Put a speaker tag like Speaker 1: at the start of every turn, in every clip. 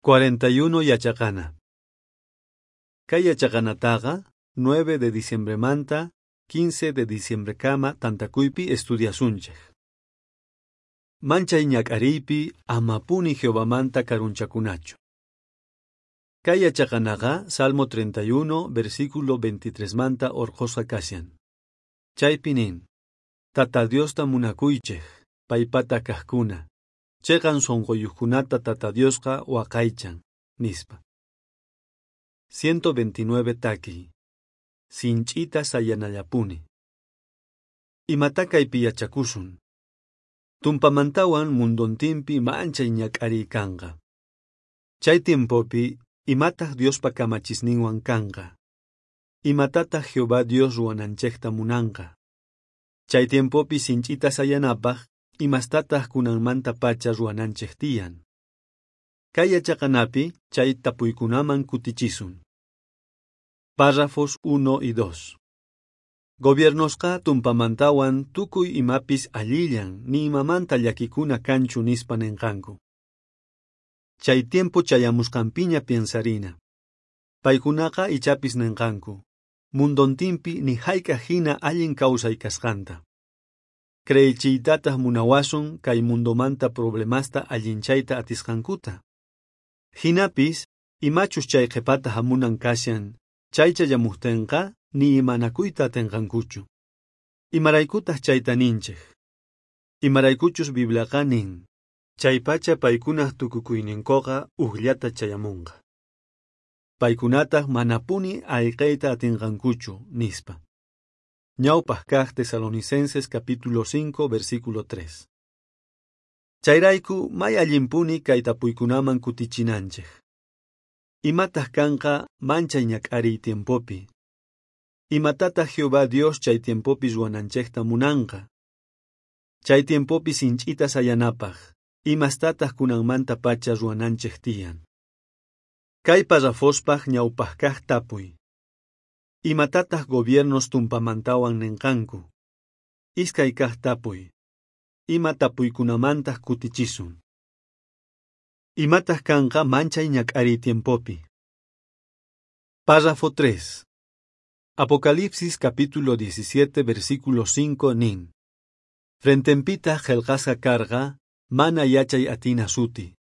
Speaker 1: 41 yachaqana. Kay yachaqanataqa 9 de diciembremanta 15 de diciembrekama tantakuypi estudiasunchej. Manchay ñak'ariypi amapuni Jehovamanta karunchakunachu. Kay yachaqanaqa Salmo 31 versículo 23 manta orqhusqa kashan. Chaypi nin: Tata Diosta munakuychej, paypata kajkuna. Cheqan sonqoyuqkunata Tata Diosqa waqaychan, nispa. 129 takiy. Sinch'ita sayanallapuni. Imata kaypi yachakusun. Tumpamantawan mundontinpi manchay ñak'ariy kanqa. Chay tiempopi imataq Diospa kamachisninwan kanqa. Imatataq Jehová Dios ruwananchejta munanqa. Chay tiempopi sinch'ita sayanapaj imastataq kunanmantapacha ruwananchej tiyan. Kay yachaqanapi chay tapuykunaman kutichisun. Párrafos 1 y 2. Gobiernosqa tumpamantawan tukuy imapis allillan ni imamanta llakikuna kanchu nispa nenqanku. Chay tiempo chayamusqanpiña piensarina. Paykunaqa ichapis nenqanku. Mundontinpi ni hayk'aq hina allin kawsay kasqanta. Creechiytataq munawasun kay mundomanta problemasta allinchayta atisqankuta. Hinapis, imachus chay qhepata hamunan kashan, chay chayamuqtinqa ni imanakuyta atinqankuchu. Imaraykutaq chayta ninchej. Imaraykuchus Bibliaqa nin, chaypacha paykunaq tukukuyninkuqa ujllata chayamunqa. Paykunataq manapuni ayqeyta atinqankuchu, nispa. Ñawpaq kaq Tesalonicenses capítulo 5 versículo 3. Chayrayku may allinpuni kay tapuykunaman kutichinanchej. Imataq kanqa manchay ñak'ariy tiempopi. Imatataq Jehová Dios chay tiempopi ruwananchejta munanqa. Chay tiempopi sinch'ita sayanapaj, imastataq kunanmantapacha ruwananchej tiyan. Kay parrafospaj ñawpaq kaq tapuy. Imatataq gobiernos tumpamantawan nenqanku. Iskay kaq tapuy. Ima tapuykunamantaq kutichisun. Imataq kanqa manchay ñak'ariy tiempopi. Párrafo 3. Apocalipsis capítulo 17 versículo 5 nin. Frentenpitaq qhelqasqa karqa mana yachay atina suti.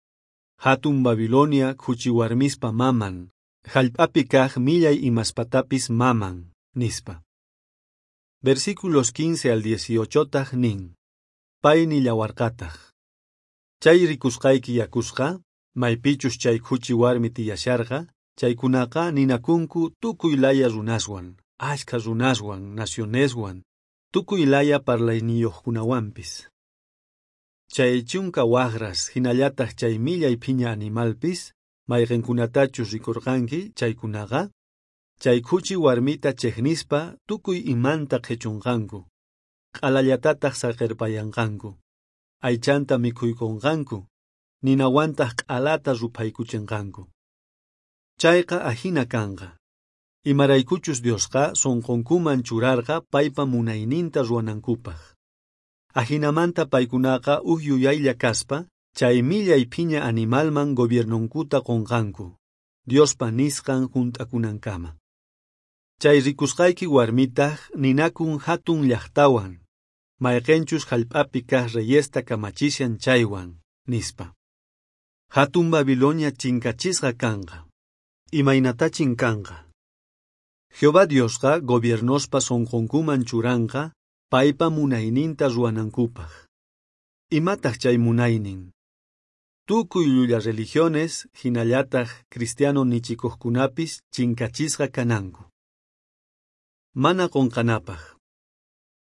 Speaker 1: Hatun Babilonia khuchiwarmispa maman, jallp'api kaq millay imaspatapis maman, nispa. Versículos 15 al 18 taq nin. Pay nillawarqataq. Chay rikusqayki yakusqa, maypichus chay khuchi warmi tiyasharqa, chaykunaqa ninakunku tukuy laya runaswan, ashkha runaswan, nacioneswan, tukuy laya parlayniyuqkunawanpis. Chay chunka waqras hinallataq chay millay phiña animalpis, mayqinkunatachus rikurqanki chaykunaqa, chay khuchi warmita chejnispa tukuy imanta qhichunqanku, q'alallatataq saqirpayanqanku, aychanta mikhuykunqanku, ninawantaq q'alata ruphaykuchinqanku. Chayqa ajina kanqa. Imaraykuchus Diosqa sunqunkuman churarqa paypa munayninta ruwanankupaq. Ajinamanta paykunaqa uj yuyaylla kaspa, chay millay phiña animalman gobiernonkuta qunqanku, Diospa nisqan junt'akunankama. Chay rikusqayki warmitaq ninakun hatun llaqtawan, mayqinchus jallp'api kaq reyesta kamachishan chaywan, nispa. Hatun Babilonia chinkachisqa kanqa. Imaynatachin kanqa. Jehová Diosqa gobiernospa sunqunkuman churanqa paypa munayninta ruwanankupaq. Imataq chay munaynin? Tukuy llulla religiones, hinallataq cristiano nichikuqkunapis chinkachisqa kananku. Mana qunqanapaq.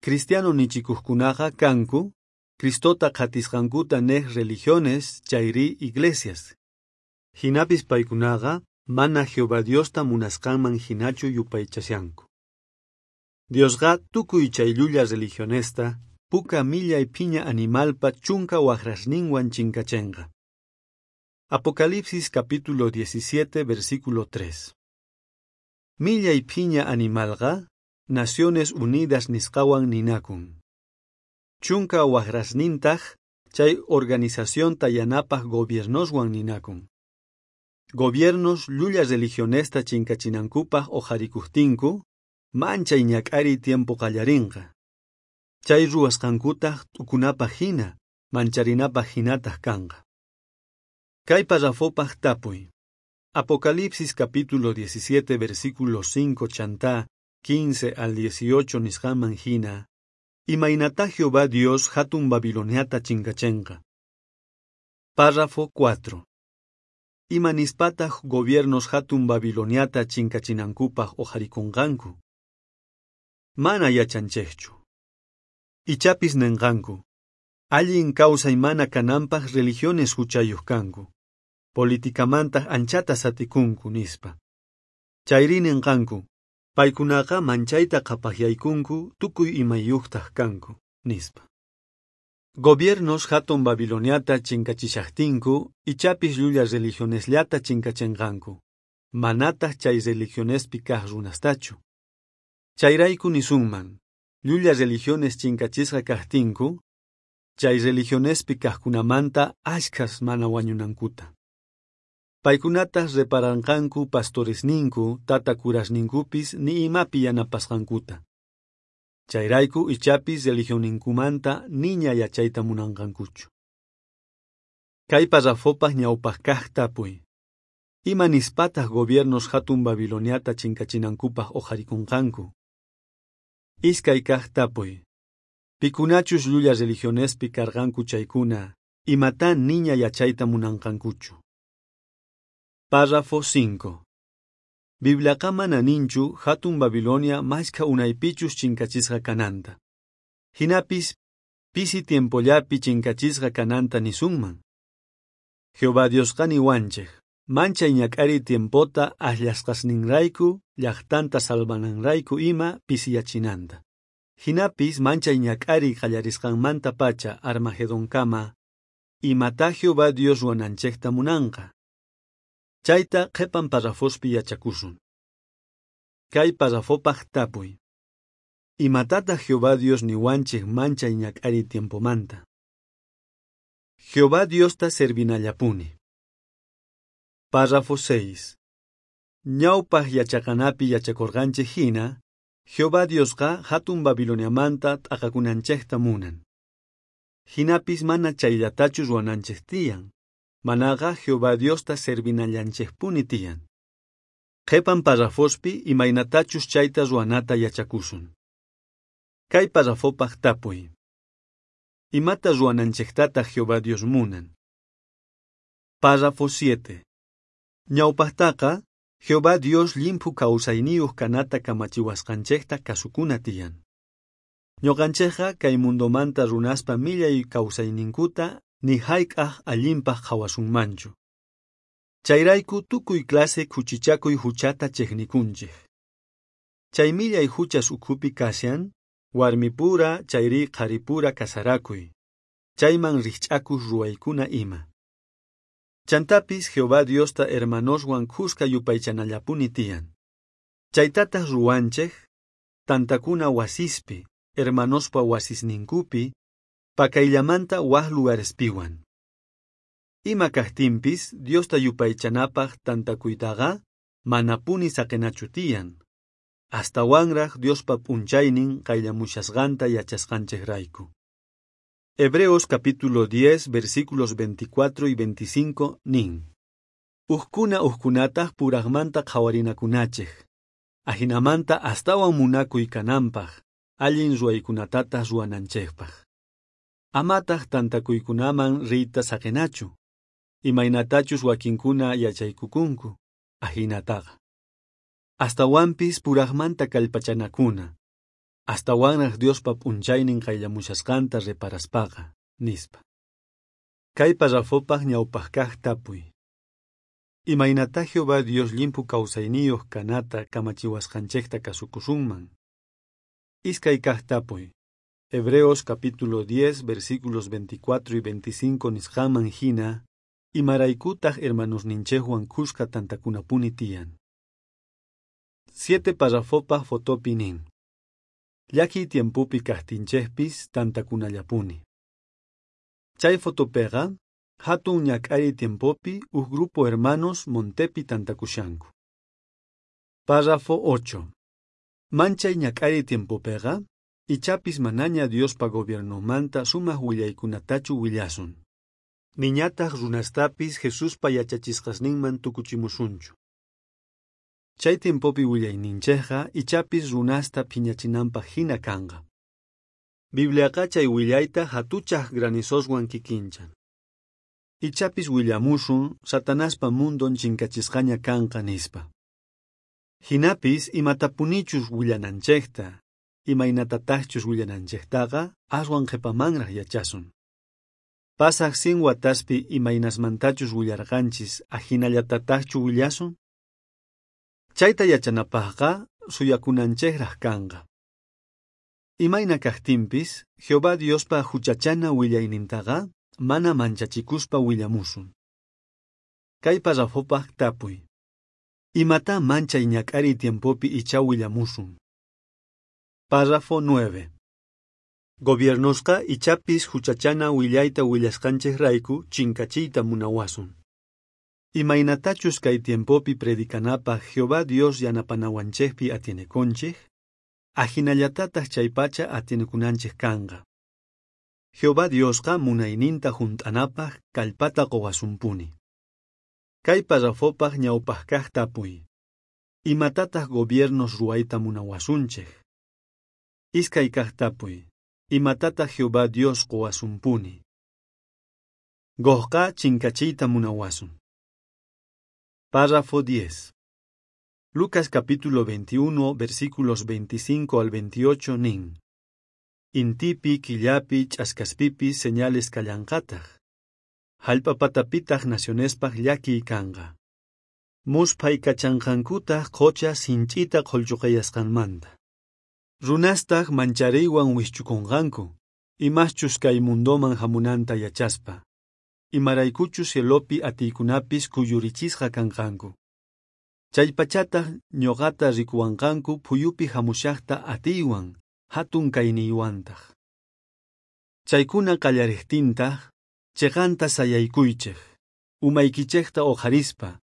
Speaker 1: Cristiano nichikuqkunaqa kanku, Cristota qhatisqankuta nej religiones chayri iglesias. Hinapis paykunaqa mana Jehová Diosta munasqanman hinachu yupaychashanku. Diosqa tukuy chay llulla religionesta puka millay phiña animalpa chunka waqrasninwan chinkachenqa. Apocalipsis capítulo 17 versículo 3. Millay phiña animalqa Naciones Unidas nisqawan ninakun. Chunka waqrasnintaq chay organizacionta yanapaq gobiernoswan ninakun. Gobiernos llulla religionesta chinkachinankupaj oqharikojtinku, manchay ñak'ariy tiempo qallarinqa. Chay ruwasqankutaj t'ukunapaj jina, mancharinapaj jinataj kanqa. Kay parrafopaj tapuy. Apocalipsis capítulo 17 versículo 5 chantá 15 al 18 nisqanman jina, imaynatá Jehová Dios hatun Babiloniata chinkachenqa. Párrafo 4. Ima nispataj gobiernos hatun Babiloniata chinkachinankupaj oqharikonqanku? Mana yachanchejchu. Ichapis nenqanku, allin kawsay mana kananpaj religiones huchayuq kanku, politicamantaj anchata satikunku nispa. Chayri nenqanku, paykunaqa manchayta qhapajyaykunku tukuy imayuqtaj kanku, nispa. Gobiernos hatun Babiloniata chinkachishajtinku, ichapis llulla religionesllata chinkachenqanku, manataj chay religionespi kaj runastachu. Chayrayku nisunman, llulla religiones chinkachisqa kajtinku, chay religionespi kajkunamanta ashkhas mana wañunankuta. Paykunataj reparanqanku pastoresninku, tata curasninkupis ni imapi yanapasqankuta. Chayrayku ichapis religionninkumanta niña yachayta munanqankuchu. Kay parrafopaj ñawpaj kaj tapuy. Ima nispataj gobiernos hatun Babiloniata chinkachinankupaj oqharikonqanku? Iskay kaj tapuy. Pikunachus llulla religionespi karqanku chaykuna, imatá niña yachayta munanqankuchu. Párrafo 5. Bibliaqa mana ninchu hatun Babilonia mashkha unaypichus chinkachisqa kananta. Jinapis pisi tiempollapi chinkachisqa kananta nisunman. Jehová Diosqa niwanchej, manchay ñak'ariy tiempota akllasqasninrayku, llaqtanta salvananrayku ima pisiyachinanta. Jinapis manchay ñak'ariy qallarisqanmantapacha Armagedonkama, imatá Jehová Dios ruwananchejta munanqa. Chayta qhepan parrafospi yachakusun. Kay parrafopaj tapuy. Imatataj Jehová Dios niwanchej manchay ñak'ariy tiempomanta? Jehová Diosta servinallapuni. Párrafo 6. Ñawpaj yachaqanapi yachakorqanchej jina, Jehová Diosqa hatun Babiloniamanta t'aqakunanchejta munan. Jinapis mana chayllatachu ruwananchej tiyan, manaqa Jehová Diosta servinallanchejpuni tiyan. Qhepan parrafospi imaynatachus chayta ruwanata yachakusun. Kay parrafopaj tapuy. Imata ruwananchejtataj Jehová Dios munan? Párrafo 7. Ñawpajtaqa, Jehová Dios llimphu kawsayniyuq kanata kamachiwasqanchejta kasukuna tiyan. Ñuqanchejqa kay mundomanta runaspa millay kawsayninkuta ni hayk'aj allinpaj qhawasunmanchu. Chayrayku tukuy clase khuchichakuy huchata chejnikunchej. Chay millay huchas ukhupi kashan, warmipura chayri qharipura kasarakuy, chayman rijch'akuq ruwaykuna ima. Chantapis Jehová Diosta hermanoswan khuska yupaychanallapuni tiyan. Chaytataj ruwanchej, tantakuna wasispi, hermanospa wasisninkupi, pakayllamanta waj lugarespiwan. Ima kajtinpis Diosta yupaychanapaj tantakuytaqa manapuni saqenachu tiyan. Astawanraj Diospa p'unchaynin qayllamushasqanta yachasqanchejrayku. Hebreos capítulo 10 versículos 24 y 25 nin. Ujkuna ujkunataj purajmanta qhawarinakunachej. Ajinamanta astawan munakuy kananpaj, allin ruwaykunatataj ruwananchejpaj. Amataj tantakuykunaman riyta saqenachu, imaynatachus wakinkuna yachaykukunku, ajinataqa. Astawanpis purajmanta kallpachanakuna, astawanraj Diospa p'unchaynin qayllamushasqanta reparaspaqa, nispa. Kay parrafopaj ñawpaj kaj tapuy. Imaynatá Jehová Dios llimphu kawsayniyuq kanata kamachiwasqanchejta kasukusunman? Iskay kaj tapuy. Hebreos capítulo 10 versículos 24 y 25 nisqanman jina, imaraykutaj hermanosninchejwan khuska tantakunapuni tiyan. 7 parrafopaj fotopi nin. Llakiy tiempopi kajtinchejpis tantakunallapuni. Chay fotopeqa, Jatun ñak'ariy tiempopi uj grupo hermanos montepi tantakushanku. Párrafo 8. Manchay ñak'ariy tiempopeqa, ichapis manaña Diospa gobiernonmanta sumaj willaykunatachu willasun. Niñataj runastapis Jesuspa yachachisqasninman tukuchimusunchu. Chay tiempopi willayninchejqa ichapis runasta phiñachinanpaj jina kanqa. Bibliaqa chay willayta jatuchaj granizoswan kikinchan. Ichapis willamusun Satanaspa mundon chinkachisqaña kanqa nispa. Jinapis imatapunichus willananchejta, imaynatataqchus willananchejtaqa aswan qhepamanraj yachasun. Pasaj 100 wataspi imaynasmantachus willarqanchis ajinallatataqchu willasun? Chayta yachanapajqa suyakunanchejraj kanqa. Imayna kajtinpis, Jehová Diospa juchachana willaynintaqa mana manchachikuspa willamusun. Kay parrafopaj tapuy. Imata manchay ñak'ariy tiempopi ichá willamusun. Párrafo 9. Gobiernosqa ichapis juchachana willayta willasqanchejrayku chinkachiyta munawasun. Imaynatachus kay tiempopi predicanapaj Jehová Dios yanapanawanchejpi atienekunchej, ajinallatataj chaypacha atienekunanchej kanqa. Jehová Diosqa munayninta junt'anapaj kallpata qowasunpuni. Kay parrafopaj ñawpaj kaj tapuy. Imatataj gobiernos ruwayta munawasunchej? Iskay kaj tapuy. Imatataj Jehová Dios qowasunpuni? Gogqa chinkachiyta munawasun. Párrafo 10. Lucas capítulo 21, versículos 25 al 28 nin. Intipi, killapi, ch'askaspipis señales kallanqataj. Jallp'a patapitaj nacionespaj llakiy kanqa. Musphaykachanqankutaj qocha sinch'ita qhollchoqeyasqanmanta. Runastaj manchariywan wijch'ukonqanku, imaschus kay mundoman jamunanta yachaspa. Imaraykuchus cielopi atiykunapis kuyurichisqa kanqanku. Chaypachataj ñoqata rikuwanqanku phuyupi jamushajta atiywan, jatun kayniywantaj. Chaykuna qallarejtintaj, cheqanta sayaykuychej, umaykichejta oqharispa,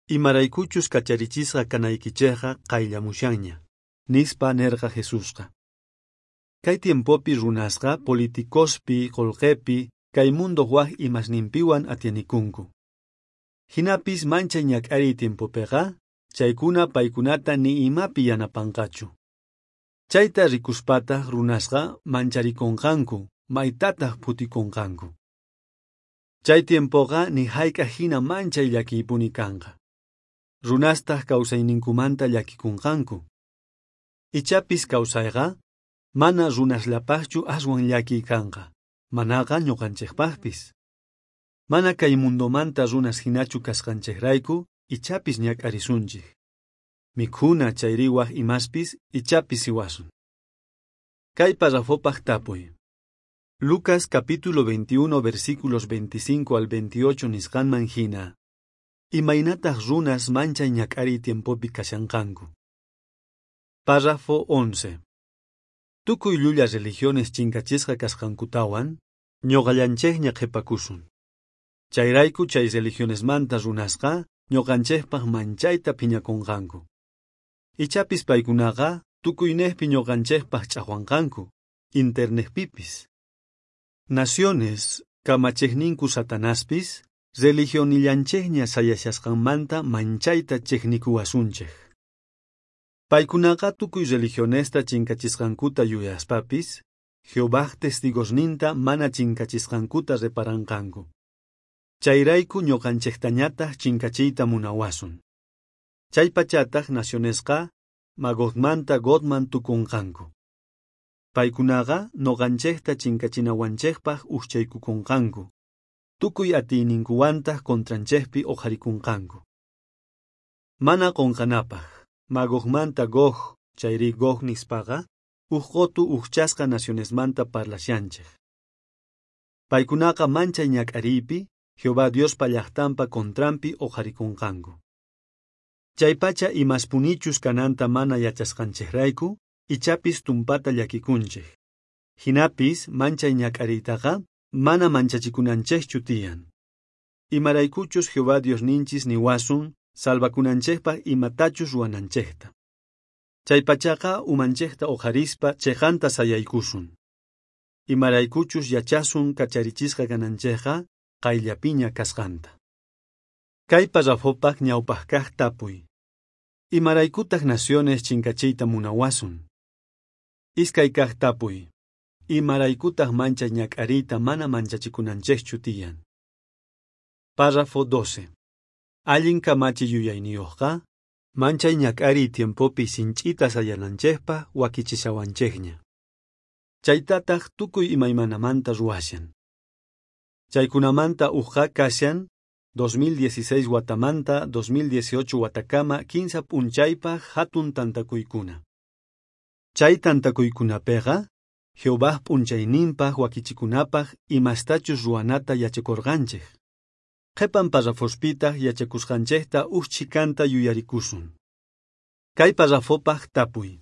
Speaker 1: imaraykuchus kacharichisqa kanaykichejqa qayllamushanña, nispa nerqa Jesusqa. Kay tiempopi runasqa politicospi, qolqepi, kay mundo waj imasninpiwan atienikunku. Jinapis manchay ñak'ariy tiempopeqa, chaykuna paykunata ni imapi yanapanqachu. Chayta rikuspataj runasqa mancharikonqanku, maytataj phutikonqanku. Chay tiempoqa ni jayk'aj jina manchay llakiypuni kanqa. Runastaj kawsayninkumanta llakikunqanku. Ichapis kawsayqa mana runasllapajchu aswan llakiy kanqa, manaqa ñuqanchejpajpis. Mana kay mundomanta runas jinachu kasqanchejrayku ichapis ñak'arisunchej. Mikhuna chayri waj imaspis ichapis siwasun. Kay parrafopaj tapuy. Lucas capítulo 21 versículos 25 al 28 nisqanman jina. Imaynataj runas manchay ñak'ariy tiempopi kashanqanku. Párrafo 11. Tukuy llulla religiones chinkachisqa kasqankutawan, ñoqallanchejña qhepakusun. Chayrayku chay religionesmanta runasqa ñoqanchejpaj manchayta phiñakonqanku. Ichapis paykunaqa tukuynejpi ñoqanchejpaj ch'ajwanqanku, internetpipis. Naciones, kamachejninku Satanaspis, religionillanchejña sayashasqanmanta manchayta chejnikuwasunchej. Paykunaqa tukuy religionesta chinkachisqankuta yuyaspapis, Jehovaj testigosninta mana chinkachisqankuta reparanqanku. Chayrayku ñoqanchejtañataj chinkachiyta munawasun. Chaypachataj nacionesqa Magogmanta Gogman tukunqanku. Paykunaqa noqanchejta chinkachinawanchejpaj ujchaykukonqanku. Tukuy atiyninkuwantaj contranchejpi oqharikunqanku. Mana qonqanapaj, Magogmanta Gog chayri Gog nispaqa, uj qotu ujchasqa nacionesmanta parlashanchej. Paykunaqa manchay ñak'ariypi, Jehová Diospa llajtanpa contranpi oqharikunqanku. Chaypacha imaspunichus kananta mana yachasqanchejrayku, ichapis tumpata llakikunchej. Jinapis manchay ñak'ariytaqa mana manchachikunanchejchu tiyan. Imaraykuchus Jehová Diosninchis niwasun salvakunanchejpaj imatachus ruwananchejta. Chaypachaqa umanchejta oqharispa cheqanta sayaykusun. Imaraykuchus yachasun kacharichisqa kananchejqa qayllapiña kasqanta. Kay parrafopaj ñawpaj kaj tapuy. Imaraykutaj naciones chinkachiyta munawasun? Iskay kaj tapuy. Imaraykutaj manchay ñak'ariyta mana manchachikunanchejchu tiyan? Párrafo 12. Allin kamachi yuyayniyojqa, manchay ñak'ariy tiempopi sinch'ita sayananchejpaj wakichishawanchejña. Chaytataj tukuy imaymanamanta ruwashan. Chaykunamanta ujqa kashan 2016 watamanta 2018 watakama 15 p'unchaypaj hatun tantakuykuna. Chay tantakuykunapeqa Jehovaj p'unchayninpaj wakichikunapaj imastachus ruwanata yachakorqanchej. Qhepan parrafospitaj yachakusqanchejta uj chhikanta yuyarikusun. Kay parrafopaj tapuy.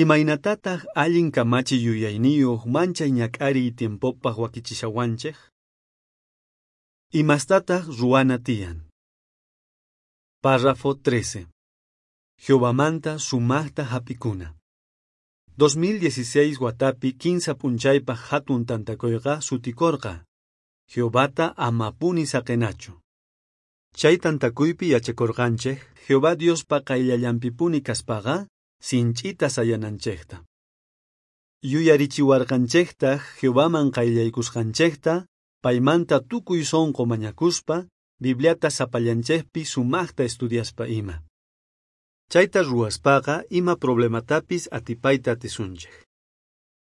Speaker 1: Imaynatataj allin kamachi yuyayniyoj manchay ñak'ariy tiempopaj wakichishawanchej? Imastataj ruwana tiyan? Párrafo 13. Jehovamanta sumajta jap'ikuna. 2016 watapi 15 p'unchaypaj hatun tantakoyqa sutikorqa Jehovata amapuni saqenachu. Chay tantakuypi yachakorqanchej Jehová Diospa qayllallanpipuni kaspaqa sinch'ita sayananchejta. Yuyarichiwarqanchejtaj Jehovaman qayllaykusqanchejta paymanta tukuy sonqo mañakuspa Bibliata sapallanchejpi sumajta estudiaspa ima. Chayta ruwaspaqa ima problematapis atipayta atisunchej.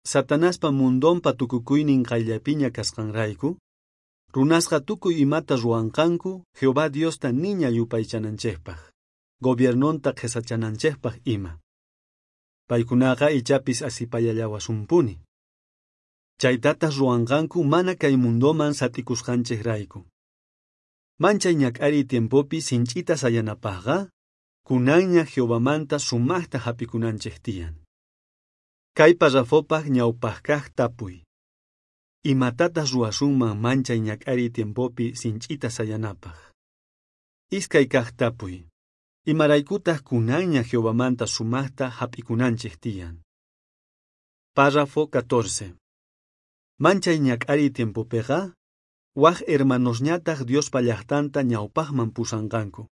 Speaker 1: Satanaspa mundonpa tukukuynin qayllapiña kasqanrayku, runasqa tukuy imata ruwanqanku Jehová Diosta niña yupaychananchejpaj, gobiernonta qhesachananchejpaj ima. Paykunaqa ichapis asipayallawasunpuni. Chaytataj ruwanqanku mana kay mundoman sat'ikusqanchejrayku. Manchay ñak'ariy tiempopi sinch'ita sayanapajqa, kunanña Jehovamanta sumajta jap'ikunanchej tiyan. Kay parrafopaj ñawpaj kaj tapuy. Imatataj ruwasunman manchay ñak'ariy tiempopi sinch'ita sayanapaj? Iskay kaj tapuy. Imaraykutaj kunanña Jehovamanta sumajta jap'ikunanchej tiyan? Párrafo 14. Manchay ñak'ariy tiempopeqa, waj hermanosñataj Diospa llajtanta ñawpajman pusanqanku.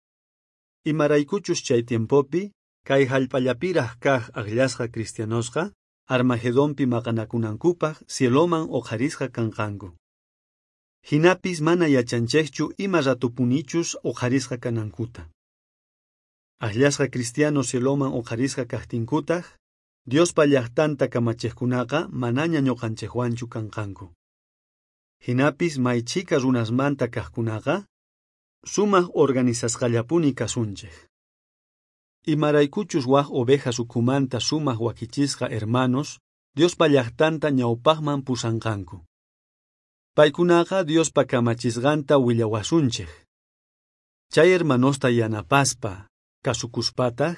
Speaker 1: Imaraykuchus chay tiempopi, kay jallp'allapiraj kaj ajllasqa cristianosqa, Armagedonpi maqanakunankupaj cieloman oqharisqa kanqanku. Jinapis mana yachanchejchu ima ratupunichus oqharisqa kanankuta. Ajllasqa cristianos cieloman oqharisqa kajtinkutaj, Diospa llajtanta kamachejkunaqa manaña ñuqanchejwanchu kanqanku. Jinapis may chhika runasmanta kajkunaqa, sumaj organizasqallapuni kasunchej. Imaraykuchus waj ovejas ukhumanta sumaj wakichisqa hermanos Diospa llajtanta ñawpajman pusanqanku. Paykunaqa Diospa kamachisqanta willawasunchej. Chay hermanosta yanapaspa, kasukuspataj,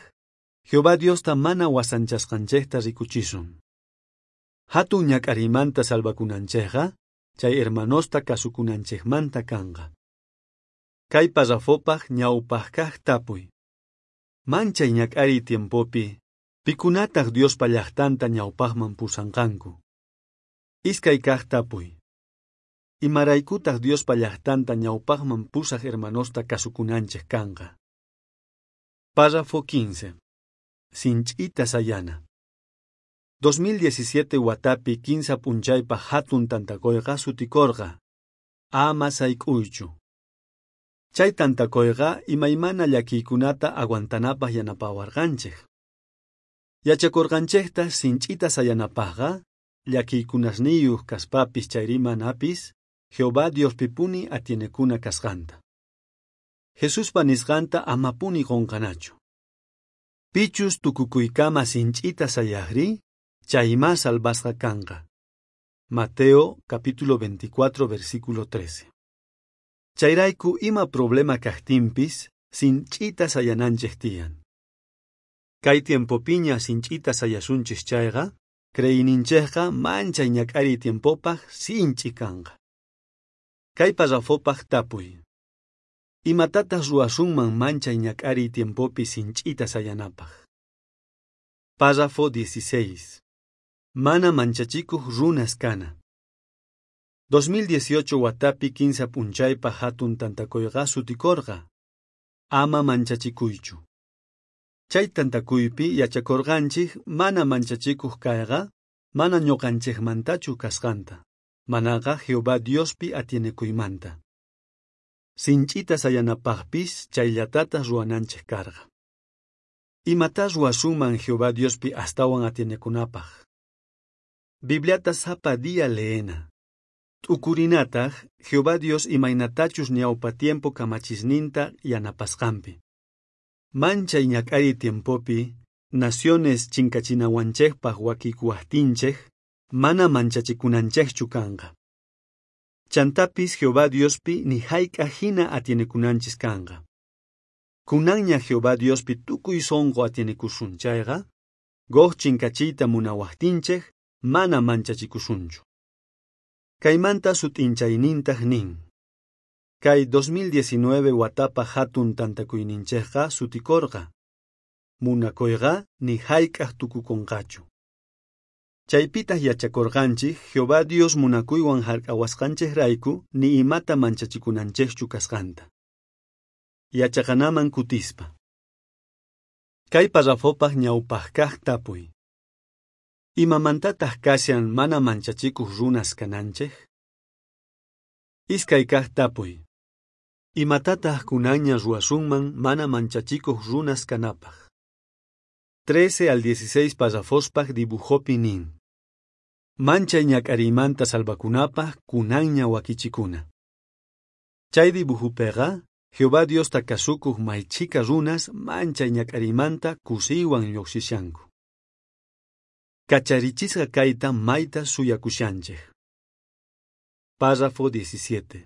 Speaker 1: Jehová Diosta mana wasanchasqanchejta rikuchisun. Hatun ñak'ariymanta salvakunanchejqa, chay hermanosta kasukunanchejmanta kanqa. Kay parrafopaj ñawpaj kaj tapuy. Manchay ñak'ariy tiempopi, pikunataj Diospa llajtanta ñawpajman pusanqanku? Iskay kaj tapuy. Imaraykutaj Diospa llajtanta ñawpajman pusaj hermanosta kasukunanchej kanqa? Párrafo 15. Sinch'ita sayana. 2017 watapi 15 p'unchaypaj hatun tantakoyqa sutikorqa Ama sayk'uychu. Chay tantakoyqa imaymana llakiykunata aguantanapaj yanapawarqanchej. Yachakorqanchejta sinch'ita sayanapajqa, llakiykunasniyuq kaspapis chayri manapis, Jehová Diospipuni atienekuna kasqanta. Jesuspa nisqanta amapuni qonqanachu. Pichus tukukuykama sinch'ita sayajri, chaymá salvasqa kanqa. Mateo capítulo 24 versículo 13. Chayrayku ima problema kajtinpis, sinch'ita sayananchej tiyan. Kay tiempopiña sinch'ita sayasunchis chayqa, creeyninchejqa manchay ñak'ariy tiempopaj sinch'i kanqa. Kay parrafopaj tapuy. Imatataj ruwasunman manchay ñak'ariy tiempopi sinch'ita sayanapaj? Párrafo 16. Mana manchachikuj runas kana. 2018 watapi 15 p'unchaypaj hatun tantakuyqa sutikorqa. Ama manchachikuychu. Chay tantakuypi yachakorqanchik mana manchachikuj kayqa mana ñuqanchikmantachu kasqanta, manaqa Jehová Diospi atienekuymanta. Sinch'ita sayanapajpis chayllatataj ruwananchik karqa. Imatá ruwasunman Jehová Diospi astawan atienekunapaj? Bibliata sapa día leena. T'ukurinataj Jehová Dios imaynatachus ñawpa tiempo kamachisninta yanapasqanpi. Manchay ñak'ariy tiempopi, naciones chinkachinawanchejpaj wakikuwajtinchej, mana manchachikunanchejchu kanqa. Chantapis Jehová Diospi ni jayk'aj jina atienekunanchis kanqa. Kunanña Jehová Diospi tukuy sonqo atienekusun chayqa, Gog chinkachiyta munawajtinchej, mana manchachikusunchu. Kaymanta sut'inchaynintaj nin. Kay 2019 watapaj hatun tantakuyninchejqa sutikorqa. Munakoyqa ni jayk'aj tukukonqachu. Chaypitaj yachakorqanchik Jehová Dios munakuywan jark'awasqanchejrayku ni imata manchachikunanchejchu kasqanta. Yachaqanaman kutispa. Kay parrafopaj ñawpajkaj tapuy. Imamantataj kashan mana manchachikuj runas kananchej? Iskay kaj tapuy. Imatataj kunanña ruwasunman mana manchachikuj runas kanapaj? 13 al 16 parrafospaj dibujopi nin. Manchay ñak'ariymanta salvakunapaj kunanña wakichikuna. Chay dibujupeqa Jehová Diosta kasukuj may chhika runas manchay ñak'ariymanta kusiywan lluqsishanku. Kacharichisqa kayta mayta suyakushanchej. Párrafo 17.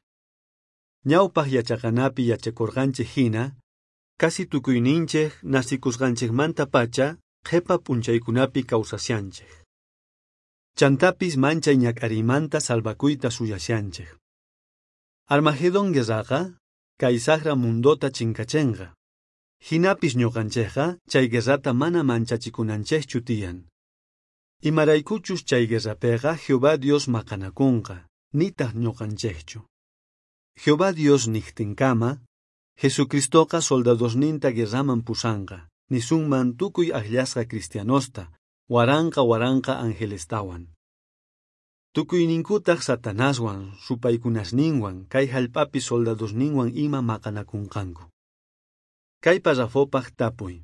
Speaker 1: Ñawpaj yachaqanapi yachakorqanchej jina, casi tukuyninchej nasikusqanchejmantapacha qhepa p'unchaykunapi kawsashanchej. Chantapis manchay ñak'ariymanta salvakuyta suyashanchej. Armagedón guerraqa kay saqra mundota chinkachenqa. Jinapis ñuqanchejqa chay guerrata mana manchachikunanchejchu tiyan. Imaraykuchus chay guerrapeqa Jehová Dios maqanakunqa, nitaj ñuqanchejchu. Jehová Dios niqtinkama, Jesucristoqa soldadosninta guerraman pusanqa, nisunman tukuy akllasqa cristianosta, waranqa waranqa angelestawan. Tukuyninkutaj Satanaswan, supaykunasninwan, kay jallp'api soldadosninwan ima maqanakunqanku. Kay parrafopaj tapuy.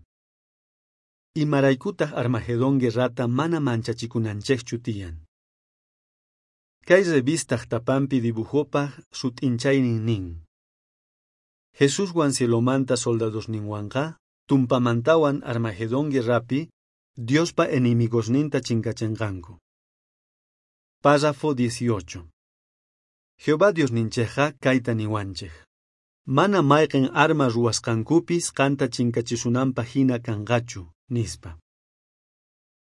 Speaker 1: Imaraykutaj Armagedón guerrata mana manchachikunanchejchu tiyan? Kay revistaj tapanpi dibujopaj sut'inchaynin nin. Jesuswan cielomanta soldadosninwanqa, tumpamantawan Armagedón guerrapi, Diospa enemigosninta chinkachenqanku. Párrafo 18. Jehová Diosninchejqa kayta niwanchej. Mana mayqen arma ruwasqankupis qanta chinkachisunanpaj jina kanqachu, nispa.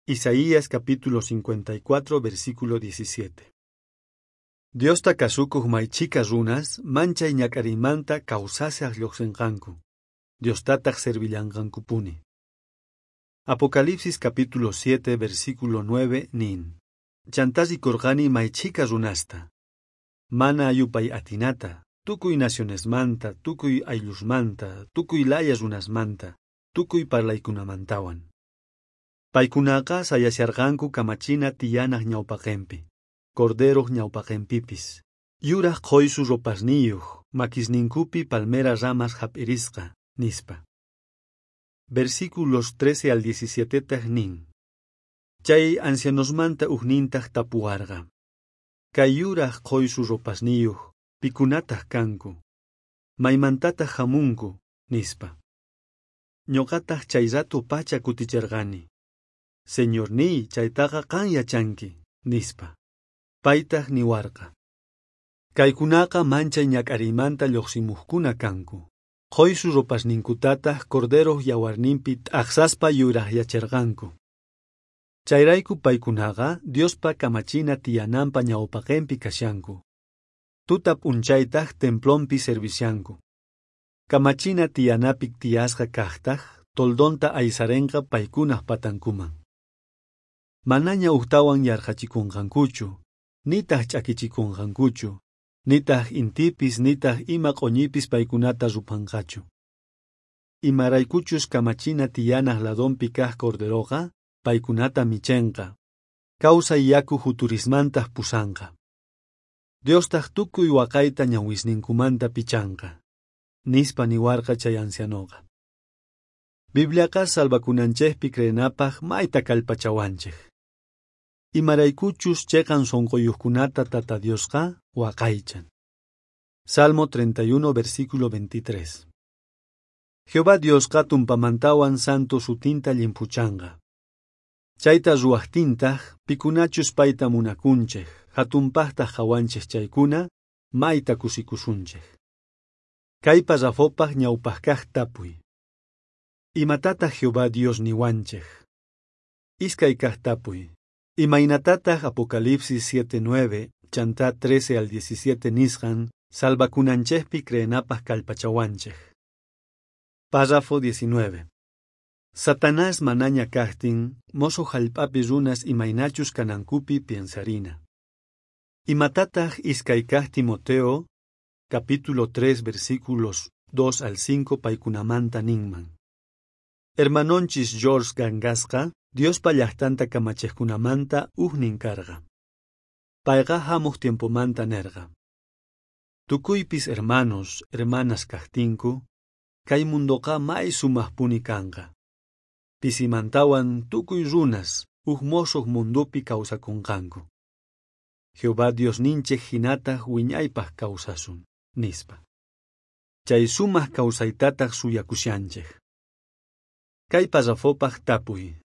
Speaker 1: Isaías capítulo 54, versículo 17. Diosta kasukuj may chhika runas manchay ñak'ariymanta kawsashaj lluqsinqanku. Diostataj servillanqankupuni. Apocalipsis capítulo 7, versículo 9 nin. Chantá rikorqani may chhika runasta. Mana yupay atinata, tukuy nacionesmanta, tukuy ayllusmanta, tukuy laya runasmanta, tukuy parlaykunamantawan. Paykunaqa sayasharqanku kamachina tiyanaj ñawpaqenpi, corderoj ñawpaqenpipis. Yuraj qhoysu ropasniyuj, makisninkupi palmera ramas jap'irisqa, nispa. Versículos 13 al 17 taj nin. Chay ancianosmanta ujnintaj tapuwarqa. Kay yuraj qhoysu ropasniyuj, pikunataj kanku. Maymantataj hamunku, nispa. Ñuqataj chay rato pacha kuticherqani. Señorniy, chaytaqa qan yachanki, nispa. Paytaj niwarqa. Kaykunaqa manchay ñak'ariymanta lluqsimuqkuna kanku. Qhoysu ropasninkutataj corderoj yawarninpi t'aqsaspa yurajyacherqanku. Chayrayku paykunaqa Diospa kamachina tiyananpa ñawpaqenpi kashanku. Tuta p'unchaytaj templonpi servishanku. Kamachina tiyanapi tiyasqa kajtaj toldonta aysarenqa paykunaj patankuman. Manaña ujtawan yarqhachikonqankuchu, nitaj ch'akichikonqankuchu, nitaj intipis nitaj ima q'oñipis paykunata ruphanqachu. Imaraykuchus kamachina tiyanaj ladonpi kaj Corderoqa paykunata michenqa, kawsay yaku juturismantaj pusanqa. Diostaj tukuy waqayta ñawisninkumanta pichanqa, nispa niwarqa chay ancianoqa. Bibliaqa salvakunanchejpi creenapaj mayta kallpachawanchej. Imaraykuchus cheqan sonqoyuqkunata Tata Diosqa waqaychan. Salmo 31, versículo 23. Jehová Diosqa tumpamantawan santo sutinta llimphuchanqa. Chayta ruwajtintaj pikunachus payta munakunchej, hatunpajtaj qhawanchej chaykuna, mayta kusikusunchej. Kay parrafopaj ñawpajkaj tapuy. Imatataq Jehová Dios niwanchej? Iskay kaj tapuy. Imaynatataj Apocalipsis 7:9 chantá 13 al 17 nisqan salvakunanchejpi creenapaj kallpachawanchej. Párrafo 19. Satanás manaña kajtin, mosoj jallp'api runas imaynachus kanankupi piensarina. Imatataj iskay kaj Timoteo, capítulo 3, versículos 2 al 5 paykunamanta ninman. Hermanonchis George Gangasqa, Diospa llajtanta kamachejkunamanta ujnin karqa. Payqa jamuj tiempomanta nerqa. Tukuypis hermanos, hermanas kajtinku, kay mundoqa may sumajpuni kanqa. Pisimantawan tukuy runas uj mosoj mundopi kawsakunqanku. Jehová Diosninchej jinataj wiñaypaj kawsasun, nispa. Chay sumaj kawsaytataj suyakushanchej. Kay parrafopaj tapuy.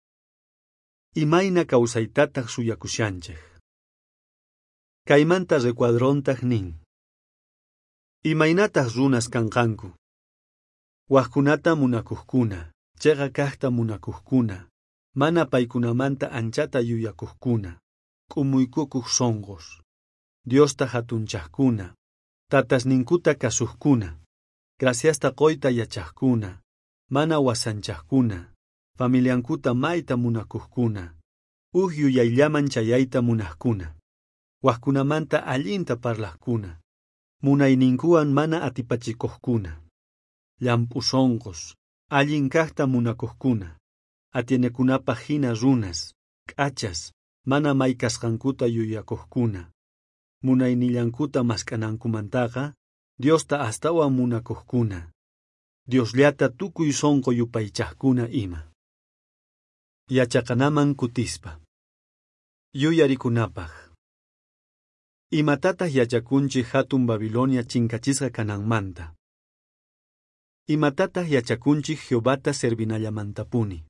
Speaker 1: Imayna kawsaytataj suyakushanchej. Kaymanta recuadrontaj nin. Imaynataj runas kanqanku. Wajkunata munakujkuna, cheqa kajta munakujkuna, mana paykunamanta anchata yuyakujkuna, k'umuykukuj sonqos, Diosta hatunchajkuna, tatasninkuta kasujkuna, graciasta qoyta yachajkuna, mana wasanchajkuna, familiankuta mayta munakujkuna, uj yuyayllaman chayayta munajkuna, wajkunamanta allinta parlajkuna, munayninkuwan mana atipachikojkuna, llamp'u sonqos, allin kajta munakujkuna, atienekunapaj hina runas, k'achas, mana may kasqankuta yuyakojkuna, munaynillankuta mask'anankumantaqa, Diosta astawan munakojkuna, Diosllata tukuy sonqo yupaychajkuna ima. Yachaqanaman kutispa. Yuyarikunapaj. Imatataq yachakunchik hatun Babilonia chinkachisqa kananmanta? Imatataq yachakunchik Jehovata servinallamantapuni?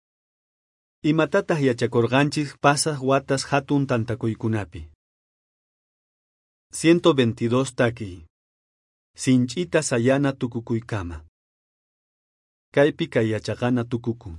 Speaker 1: Imatataq yachakurqanchik pasaq watas hatun tantakuykunapi? 122 takiy. Sinch'ita sayana tukukuykama. Kaypi kay yachaqana tukukun.